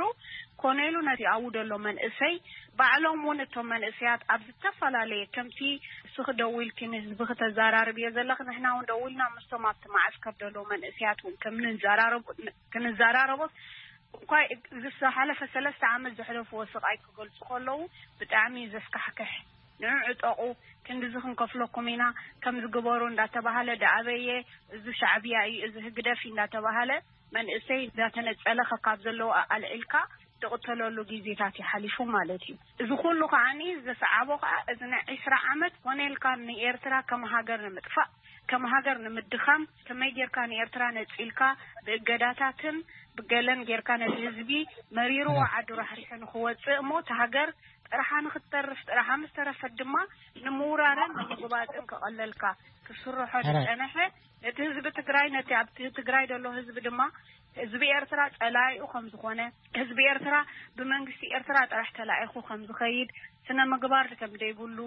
ኮነ ኢሉ ነቲ ኣብኡ ዘሎ መንእሰይ፣ ባዕሎም እውን እቶም መንእሰያት ኣብ ዝተፈላለየ ከምቲ ንስኺ ደዊልኪ ንህዝቢ ክተዘራርብዮ ዘለኺ ንሕና እውን ደዊልና ምስቶም ኣብቲ ማዓስከር ዘለዉ መንእሰያት እውን ከም ንዘራረቡ ክንዘራረቦ እኳ ዝሓለፈ ሰለስተ ዓመት ዘሕለፍዎ ስቓይ ክገልጹ ከለዉ ብጣዕሚ እዩ ዘስካሕክሕ። ንዑ ዕጠቑ፣ ክንድዚ ክንከፍለኩም ኢና፣ ከምዚ ግበሩ እንዳተባሃለ ደኣበየ፣ እዚ ሻዕብያ እዩ፣ እዚ ህግደፍ እዩ እንዳተባሃለ መንእሰይ እንዳተነጸለ ከካብ ዘለዎ ኣልዒልካ ትቕተለሉ ግዜታት እዩ ሓሊፉ ማለት እዩ። እዚ ኩሉ ከዓኒ ዘስዓቦ ከኣ እዚ ናይ ዕስራ ዓመት ኮነ ኢልካ ንኤርትራ ከም ሃገር ንምጥፋእ፣ ከም ሃገር ንምድኻም፣ ከመይ ጌርካ ንኤርትራ ነጺልካ ብእገዳታትን ብገለን ጌርካ ነቲ ህዝቢ መሪርዎ ዓዱ ራሕሪሑ ንኽወጽእ እሞ እታ ሃገር ጥርሓ ንኽትተርፍ ጥርሓ ምስ ተረፈት ድማ ንምውራርን ንምጉባጥን ክቐለልካ ክስርሖ ዝጸንሐ ነቲ ህዝቢ ትግራይ ነቲ ኣብቲ ትግራይ ዘሎ ህዝቢ ድማ ህዝቢ ኤርትራ ጸላኢኡ ከም ዝኾነ፣ ህዝቢ ኤርትራ ብመንግስቲ ኤርትራ ጥራሕ ተላኢኹ ከም ዝኸይድ፣ ስነ ምግባር ከም ዘይብሉ፣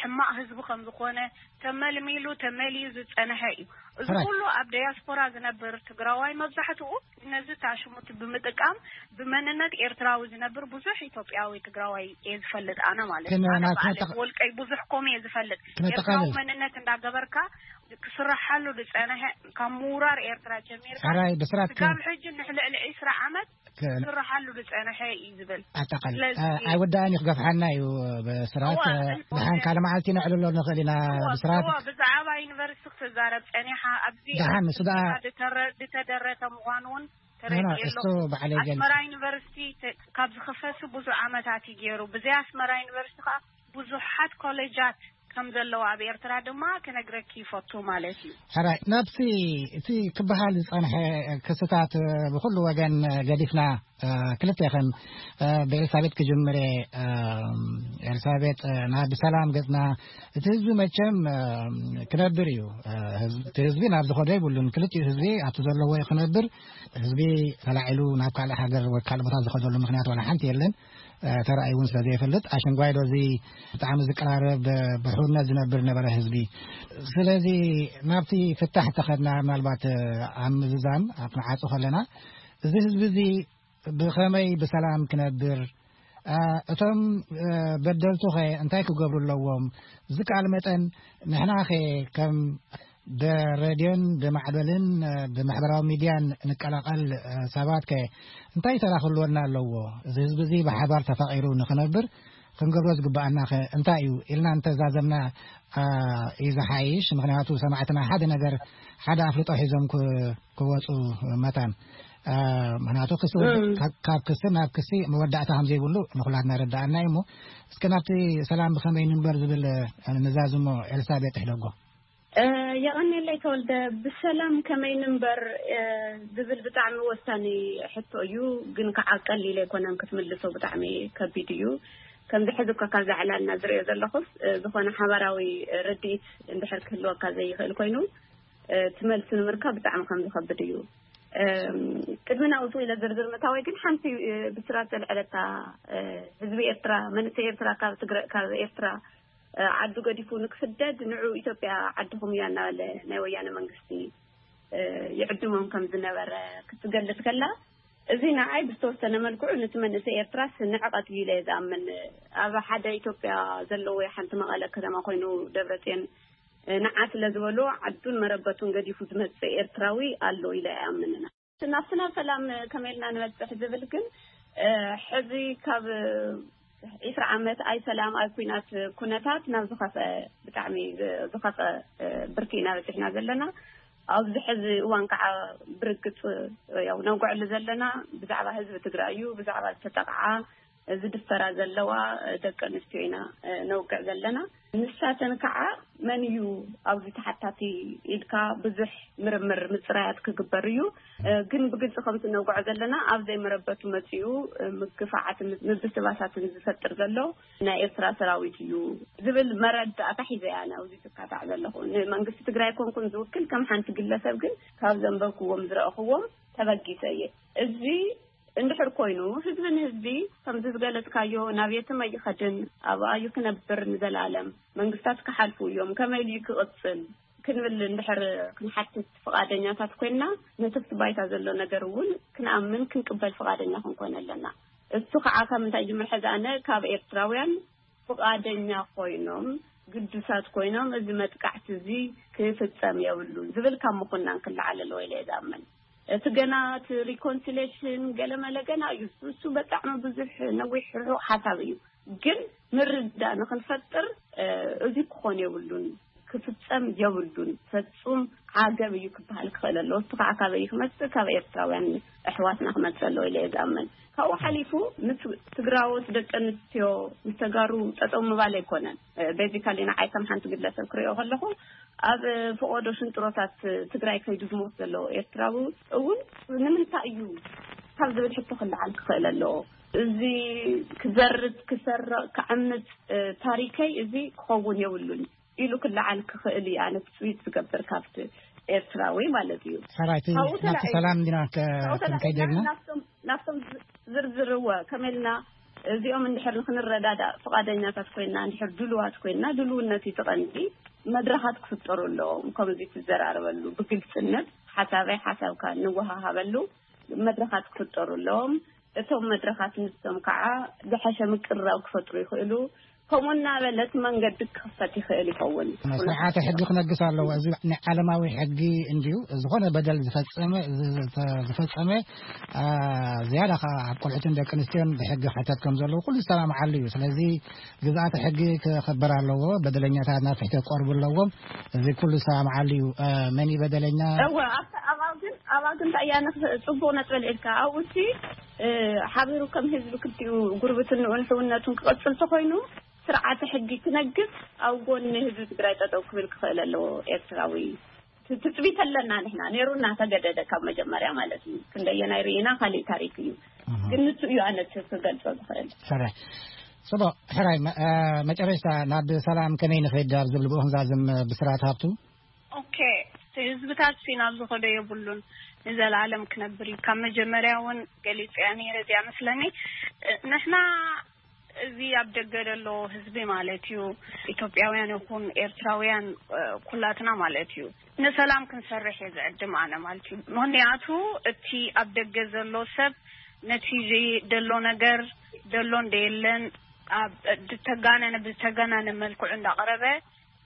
ሕማቕ ህዝቢ ከም ዝኾነ፣ ተመልሚሉ ተመልዩ ዝጸንሐ እዩ። እዚ ኩሉ ኣብ ዲያስፖራ ዝነብር ትግራዋይ መብዛሕትኡ ነዚ ታሽሙት ብምጥቃም ብመንነት ኤርትራዊ ዝነብር ብዙሕ ኢትዮጵያዊ ትግራዋይ እየ ዝፈልጥ ኣነ ማለት እዩ። ኣነ ብዓለይ ብወልቀይ ብዙሕ ኮም እየ ዝፈልጥ። ኤርትራዊ መንነት እንዳገበርካ ክስራሓሉ ዝጸንሐ ካብ ምውራር ኤርትራ ጀሚርካ ስጋብ ሕጂ ንሕልዕሊ ዕስራ ዓመት ክስራሓሉ ዝጸንሐ እዩ ዝብል። ኣጠቃል ኣይወዳእን እዩ ክገፍሓና እዩ። ብስራት ድሓን ካልእ መዓልቲ ነዕልሎ ንኽእል ኢና። ብስራት ብዛዕባ ዩኒቨርሲቲ ክትዛረብ ጸኒሓ ኣብዚ ድሓን እሱ ደኣ ዝተደረተ ምዃኑ እውን ተረዲኤ ኣለኹ። ኣስመራ ዩኒቨርሲቲ ካብ ዝኽፈት ብዙሕ ዓመታት እዩ ገይሩ። ብዘይ ኣስመራ ዩኒቨርሲቲ ከዓ ብዙሓት ኮሌጃት ከም ዘለዋ ኣብ ኤርትራ ድማ ክነግረኪ ይፈቱ ማለት እዩ። ሕራይ ናብቲ እቲ ክበሃል ዝጸንሐ ክስታት ብኩሉ ወገን ገዲፍና ክልተ ከም ብኤልሳቤጥ ክጅምር። ኤልሳቤጥ ናብ ሰላም ገጽና እቲ ህዝቢ መቸም ክነብር እዩ። እቲ ህዝቢ ናብ ዝኸዶ ይብሉን ክልቲኡ ህዝቢ ኣብቲ ዘለዎ ክነብር። ህዝቢ ተላዒሉ ናብ ካልእ ሃገር ወይ ካልእ ቦታ ዝኸደሉ ምክንያት ዋላ ሓንቲ የለን። ተራእዩ እውን ስለ ዘይፈልጥ ኣሽንጓይ ዶ እዚ ብጣዕሚ ዝቀራረብ ብሕውነት ዝነብር ነበረ ህዝቢ። ስለዚ ናብቲ ፍታሕ ተኸድና ምናልባት ኣብ ምዝዛን ኣብ ክንዓፁ ከለና እዚ ህዝቢ እዚ ብኸመይ ብሰላም ክነብር፣ እቶም በደልቱ ኸ እንታይ ክገብሩ ኣለዎም? ዝከኣል መጠን ንሕና ኸ ከም ብሬድዮን ብማዕበልን ብማሕበራዊ ሚድያን ንቀላቐል ሰባት ከ እንታይ ተራ ክህልወና ኣለዎ? እዚ ህዝቢ እዚ ብሓባር ተፋቒሩ ንኽነብር ክንገብሮ ዝግብኣና ከ እንታይ እዩ ኢልና እንተዛዘምና እዩ ዝሓይሽ። ምክንያቱ ሰማዕትና ሓደ ነገር ሓደ ኣፍልጦ ሒዞም ክወፁ መታን። ምክንያቱ ክሲ ካብ ክሲ ናብ ክሲ መወዳእታ ከም ዘይብሉ ንኩላትና ይረዳኣና እዩ። እሞ እስከ ናብቲ ሰላም ብከመይ ንንበር ዝብል ንዛዝሞ። ኤልሳቤጥ ሕደጎ። የቐኔለይ ተወልደ። ብሰላም ከመይ ንንበር ዝብል ብጣዕሚ ወሳኒ ሕቶ እዩ። ግን ከዓ ቀሊል ኣይኮነን ክትምልሶ፣ ብጣዕሚ ከቢድ እዩ። ከምዚ ሕዚ እኳ ካብዛ ዕላልና ዝሪኦ ዘለኹስ ዝኾነ ሓባራዊ ርድኢት እንድሕር ክህልወካ ዘይኽእል ኮይኑ እቲ መልሲ ንምርካብ ብጣዕሚ ከም ዝኸብድ እዩ። ቅድሚ ናብኡ ኢለ ዝርዝር ምእታወይ ግን ሓንቲ ብስራት ዘልዐለታ፣ ህዝቢ ኤርትራ፣ መንእሰይ ኤርትራ ካብ ትግረ ካብ ኤርትራ ዓዱ ገዲፉ ንክስደድ ንዑ ኢትዮጵያ ዓድኹም እያ እናበለ ናይ ወያነ መንግስቲ ይዕድሞም ከም ዝነበረ ክትገልጽ ከላ፣ እዚ ንዓይ ብዝተወሰነ መልክዑ ነቲ መንእሰይ ኤርትራስ ንዕቐት እዩ ኢለ እየ ዝኣምን። ኣብ ሓደ ኢትዮጵያ ዘለዎ ሓንቲ መቐለ ከተማ ኮይኑ ደብረጽዮን ንዓ ስለ ዝበሎ ዓዱን መረበቱን ገዲፉ ዝመጽእ ኤርትራዊ ኣሎ ኢለ ኣይኣምንን። ናብቲ ናብ ሰላም ከመይ ኢልና ንበጽሕ ዝብል ግን ሕዚ ካብ ዒስራ ዓመት ኣይ ሰላም ኣይ ኩናት ኩነታት ናብ ዝኸፍአ፣ ብጣዕሚ ዝኸፍአ ብርኪ ኢና በጺሕና ዘለና። ኣብዚ ሕዚ እዋን ከዓ ብርግጽ ያው ነውግዐሉ ዘለና ብዛዕባ ህዝቢ ትግራይ እዩ። ብዛዕባ ዝተጠቕዓ ዝድፈራ ዘለዋ ደቂ ኣንስትዮ ኢና ነውግዕ ዘለና። ንሳተን ከዓ መን እዩ ኣብዚ ተሓታቲ ኢልካ ብዙሕ ምርምር ምፅራያት ክግበር እዩ። ግን ብግልፂ ከምቲ ነውግዖ ዘለና ኣብ ዘይመረበቱ መፂኡ ምግፋዓትን ምብስባሳትን ዝፈጥር ዘሎ ናይ ኤርትራ ሰራዊት እዩ ዝብል መረዳእታ ሒዘ እያ ኣብዚ ዝካታዕ ዘለኹ። ንመንግስቲ ትግራይ ኮንኩን ዝውክል ከም ሓንቲ ግለሰብ ግን ካብ ዘንበብክዎም ዝረእኽዎም ተበጊሰ እየ። እዚ እንድሕር ኮይኑ ህዝቢ ንህዝቢ ከምዚ ዝገለጽካዮ ናብ የትም ኣይኸድን፣ ኣብኣ እዩ ክነብር ንዘለኣለም፣ መንግስታት ክሓልፉ እዮም፣ ከመይ ኢሉ እዩ ክቕጽል ክንብል እንድሕር ክንሓትት ፍቓደኛታት ኮይንና፣ ነቲ ኣብቲ ባይታ ዘሎ ነገር እውን ክንኣምን ክንቅበል ፍቓደኛ ክንኮን ኣለና። እሱ ከዓ ካብ ምንታይ ጅምር ሕዚ ኣነ ካብ ኤርትራውያን ፍቓደኛ ኮይኖም ግዱሳት ኮይኖም እዚ መጥቃዕቲ እዚ ክፍጸም የብሉን ዝብል ካብ ምኹናን ክለዓል ኣለዎ ኢለ እየ ዝኣምን። እቲ ገና እቲ ሪኮንሲሌሽን ገለመለ ገና እዩ። እሱ በጣዕሚ ብዙሕ ነዊሕ ርሑቕ ሓሳብ እዩ። ግን ምርዳእ ንኽንፈጥር እዚ ክኾን የብሉን፣ ክፍጸም የብሉን፣ ፈጹም ዓገብ እዩ ክበሃል ክኽእል ኣለዎ። እሱ ከዓ ካበይ ክመጽእ? ካብ ኤርትራውያን ኣሕዋትና ክመጽእ ኣለዎ ኢለ እየ ዝኣምን። ካብኡ ሓሊፉ ምስ ትግራዎት ደቂ ኣንስትዮ ምስ ተጋሩ ጠጠው ምባል ኣይኮነን። ቤዚካሊ ንዓይ ከም ሓንቲ ግለሰብ ክሪኦ ከለኹ ኣብ ፈቆዶ ሽንጥሮታት ትግራይ ከይዱ ዝሞት ዘሎ ኤርትራዊ እውን ንምንታይ እዩ ካብ ዝብል ሕቶ ክለዓል ክኽእል ኣለዎ። እዚ ክዘርጥ ክሰርቕ ክዓምፅ ታሪከይ እዚ ክኸውን የብሉን ኢሉ ክለዓል ክኽእል እዩ። ኣነ ትፅቢት ዝገብር ካብቲ ኤርትራዊ ማለት እዩ። ሰራይቲ ካብኡ ናብቲ ተላዒሉ- ሰላም እንዲና ከ- ካብኡ ተላዒልና ክንከይድ ኢልና? ናብቶም ናብቶም ዝ- ዝርዝርዎ ከመልና እዚኦም እንድሕር ንክንረዳዳእ ፍቓደኛታት ኮይና፣ እንድሕር ድሉዋት ኮይና፣ ድልውነት እዩ እቲ ቀንዲ። መድረኻት ክፍጠሩ ኣለዎም። ከምዚ ትዘራረበሉ ብግልጽነት፣ ሓሳበይ ሓሳብካ ንወሃሃበሉ መድረኻት ክፍጠሩ ኣለዎም። እቶም መድረኻት ንሶም ከዓ ዝሓሸ ምቅርራብ ክፈጥሩ ይኽእሉ። ከምኡ እናበለት መንገዲ ክኽፈት ይኽእል ይኸውን። ስርዓተ ሕጊ ክነግስ ኣለዎ። እዚ ናይ ዓለማዊ ሕጊ እንድዩ። ዝኾነ በደል ዝፈጸመ ዝፈጸመ ዝያዳ ከዓ ኣብ ቆልዑትን ደቂ ኣንስትዮን ብሕጊ ክሕተት ከም ዘለዎ ኩሉ ዝሰማምዓሉ እዩ። ስለዚ ግዝኣተ ሕጊ ክኽበር ኣለዎ። በደለኛታት ናብ ፍትሒ ክቀርቡ ኣለዎም። እዚ ኩሉ ዝሰማምዓሉ እዩ። መን እዩ በደለኛ? እወ ኣብኣ ግን ኣብኣ ግን እንታይ እያ ጽቡቅ ነጥበል ኢልካ ኣብኡ እቲ ሓቢሩ ከም ህዝቢ ክልቲኡ ጉርብትንኡን ሕውነቱን ክቐጽል ተኾይኑ ስርዓተ ሕጊ ክነግስ ኣብ ጎኒ ህዝቢ ትግራይ ጠጠው ክብል ክኽእል ኣለዎ። ኤርትራዊ ትጽቢት ኣለና ንሕና ነይሩና ተገደደ ካብ መጀመርያ ማለት እዩ። ክንደየናይ ርኢና ካሊእ ታሪክ እዩ። ግን ንሱ እዩ ኣነ ክገልጾ ዝኽእል። ሰረ ጽቡቕ ሕራይ መጨረሽታ ናብ ሰላም ከመይ ንኸይድ ኣብ ዝብል ብኡ ክንዛዝም ብስራት ሃብቱ። ኦኬ ህዝብታት ሲ ናብ ዝኸዶ የብሉን ንዘለኣለም ክነብር እዩ። ካብ መጀመርያ እውን ገሊፅያ ነይረ እዚኣ መስለኒ። ንሕና እዚ ኣብ ደገ ዘሎ ህዝቢ ማለት እዩ። ኢትዮጵያውያን ይኹን ኤርትራውያን ኩላትና ማለት እዩ ንሰላም ክንሰርሕ እየ ዝዕድም ኣነ ማለት እዩ። ምክንያቱ እቲ ኣብ ደገ ዘሎ ሰብ ነቲ ዘሎ ነገር ደሎ እንደየለን ኣብ ዝተጋነነ ብዝተጋነነ መልክዑ እንዳቀረበ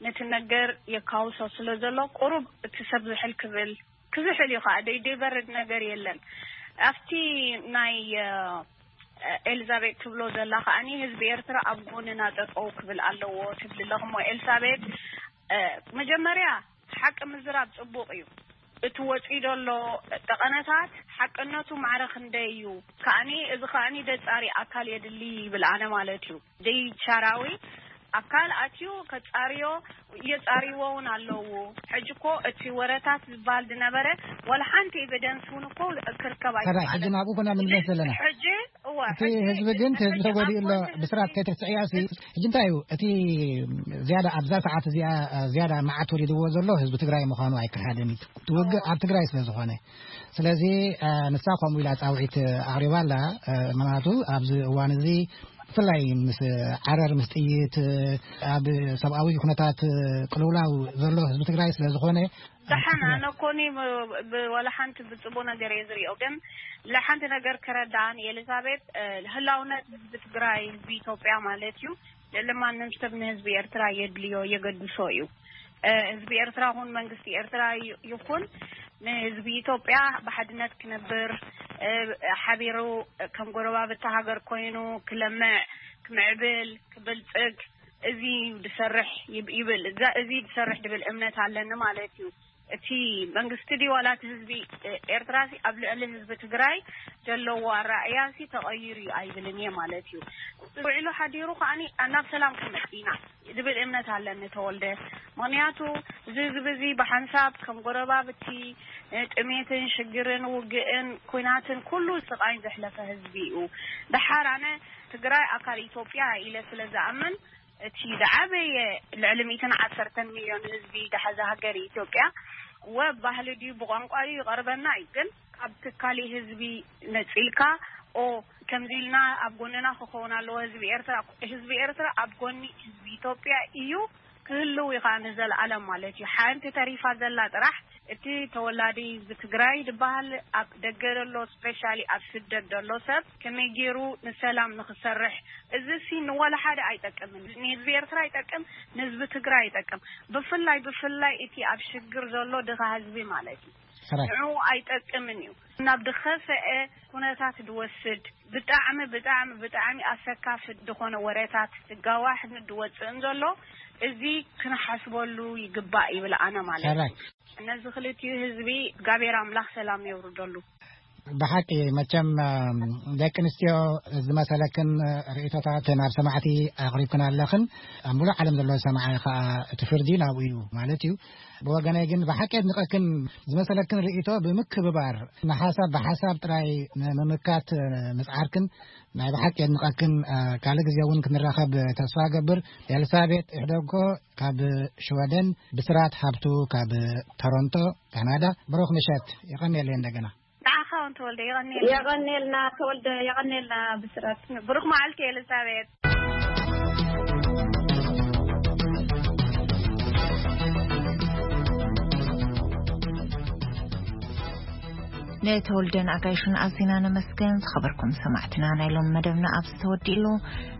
ነቲ ነገር የካውሶ ስለ ዘሎ ቁሩብ እቲ ሰብ ዝሕል ክብል ክዝሕል እዩ ከዓ ደይ ደይበርድ ነገር የለን። ኣብቲ ናይ ኤልዛቤት ትብሎ ዘላ ከዓኒ ህዝቢ ኤርትራ ኣብ ጎንና ጠጠው ክብል ኣለዎ ትብል ኣለኹ። እሞ ኤልሳቤት መጀመርያ ሓቂ ምዝራብ ጽቡቕ እዩ። እቲ ወጺኡ ዘሎ ጠቐነታት ሓቅነቱ ማዕረ ክንደይ እዩ? ከዓኒ እዚ ከዓኒ ደጻሪ ኣካል የድሊ ይብል ኣነ ማለት እዩ። ደይ ቻራዊ ኣካል ኣትዩ ከጻርዮ እየጻርይዎ እውን ኣለዉ። ሕጂ እኮ እቲ ወረታት ዝበሃል ዝነበረ ዋላ ሓንቲ ኤቪደንስ እውን እኮ ክርከብ ሰራይ ሕጂ ኣይከኣለን። ናብኡ ኮና ንምለስ ዘለና። ሕጂ እወ፣ እቲ ሕጂ ህዝቢ ግን እቲ ህዝቢ ሕጂ ተጎዲኡ ኣሎ። ኣብጎኒ ብስራት ህዝቢ ከይትርስዕያ ሲ ሕጂ እንታይ እዩ እቲ ዝያዳ ኣብዛ ሰዓት እዚኣ ዝያዳ መዓት ወሪድዎ ዘሎ ህዝቢ ትግራይ ምዃኑ ኣይከሓድን እዩ። እቲ ውግእ ኣብ ትግራይ ስለ ዝኾነ ስለዚ ንሳ ከምኡ ኢላ ፃውዒት ኣቕሪባ ኣላ። ምክንያቱ ኣብዚ እዋን እዚ ብፍላይ ምስ ዓረር ምስ ጥይት ኣብ ሰብኣዊ ኩነታት ቅልውላው ዘሎ ህዝቢ ትግራይ ስለ ዝኾነ ደሓን ኣነ ኮኒ ብወላ ሓንቲ ብፅቡቅ ነገር እየ ዝሪኦ። ግን ለሓንቲ ነገር ክረዳእን ኤሊዛቤት ህላውነት ህዝቢ ትግራይ ህዝቢ ኢትዮጵያ ማለት እዩ። ልዕሊ ማንም ሰብ ንህዝቢ ኤርትራ የድልዮ የገድሶ እዩ። ህዝቢ ኤርትራ ኹን መንግስቲ ኤርትራ ይኹን ንህዝቢ ኢትዮጵያ ብሓድነት ክነብር ሓቢሩ ከም ጎረባብቲ ሃገር ኮይኑ ክለምዕ ክምዕብል ክብልፅግ እዚ ድሰርሕ ይብል እዚ ድሰርሕ ድብል እምነት ኣለኒ ማለት እዩ። እቲ መንግስቲ ድዩ ዋላ እቲ ህዝቢ ኤርትራ ሲ ኣብ ልዕሊ ህዝቢ ትግራይ ዘለዎ ኣረኣእያ ሲ ተቐይሩ እዩ ኣይብልን እየ ማለት እዩ። ውዒሉ ሓዲሩ ከዓኒ ናብ ሰላም ክመጽእ ኢና ዝብል እምነት ኣለኒ ተወልደ። ምክንያቱ እዚ ህዝቢ እዚ ብሓንሳብ ከም ጎረባብቲ ጥሜትን ሽግርን ውግእን ኩናትን ኩሉ ስቃይን ዘሕለፈ ህዝቢ እዩ። ደሓር ኣነ ትግራይ ኣካል ኢትዮጵያ ኢለ ስለ ዝኣምን እቲ ዝዓበየ ልዕሊ ሚእትን ዓሰርተን ሚልዮን ህዝቢ ዝሓዘ ሃገር ኢትዮጵያ ወ ባህሊ ድዩ ብቋንቋ ድዩ ይቐርበና እዩ ግን ካብ ትካሊ ህዝቢ ነፂልካ ኦ ከምዚ ኢልና ኣብ ጎንና ክኸውን ኣለዎ ህዝቢ ኤርትራ ህዝቢ ኤርትራ ኣብ ጎኒ ህዝቢ ኢትዮጵያ እዩ ክህልው እዩ ከዓ ንዘለኣለም ማለት እዩ ሓንቲ ተሪፋ ዘላ ጥራሕ እቲ ተወላዲ ህዝቢ ትግራይ ዝበሃል ኣብ ደገ ዘሎ ስፔሻሊ ኣብ ስደት ዘሎ ሰብ ከመይ ገይሩ ንሰላም ንክሰርሕ እዚ ሲ ንወላ ሓደ ኣይጠቅምን ንህዝቢ ኤርትራ ኣይጠቅም ንህዝቢ ትግራይ ኣይጠቅም ብፍላይ ብፍላይ እቲ ኣብ ሽግር ዘሎ ድኻ ህዝቢ ማለት እዩ ንዑ ኣይጠቅምን እዩ ናብ ድኸፈአ ኩነታት ድወስድ ብጣዕሚ ብጣዕሚ ብጣዕሚ ኣሰካፊ ድኾነ ወረታት ድጋዋሕ ድወፅእን ዘሎ እዚ ክንሓስበሉ ይግባእ ይብል ኣነ ማለት እዩ ነዚ ክልቲኡ ህዝቢ እግዚኣብሔር ኣምላኽ ሰላም የውርደሉ። ብሓቂ መቸም ደቂ ኣንስትዮ ዝመሰለክን ርእቶታት ናብ ሰማዕቲ ኣቕሪብክን ኣለኽን። ኣብ ሙሉእ ዓለም ዘሎ ሰማዒ ከዓ እቲ ፍርዲ ናብኡ እዩ ማለት እዩ። ብወገነይ ግን ብሓቂ የድንቐክን። ዝመሰለክን ርእቶ ብምክብባር ንሓሳብ ብሓሳብ ጥራይ ንምምካት ምፅዓርክን ናይ ብሓቂ የድንቐክን። ካልእ ግዜ እውን ክንራኸብ ተስፋ ገብር። ኤልሳቤጥ ይሕደጎ ካብ ሽወደን፣ ብስራት ሃብቱ ካብ ቶሮንቶ ካናዳ። ብሩኽ ምሸት። ይቐንየለይ እንደገና። ንዓኻ እውን ተወልደ የቐንየልና። የቐንየልና ተወልደ፣ የቐንየልና ብስራት። ብሩኽ መዓልቲ ኤልሳቤጥ። ንተወልደን ኣጋይሹን ኣዚና ነመስገን። ዝኸበርኩም ሰማዕትና፣ ናይ ሎም መደብና ኣብዚ ተወዲእሉ።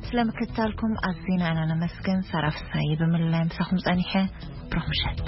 ስለ ምክትታልኩም ኣዚና ኢና ነመስገን። ሳራ ፍሳይ ብምልላይ ምሳኹም ጸኒሐ። ብሩኽ ምሸት።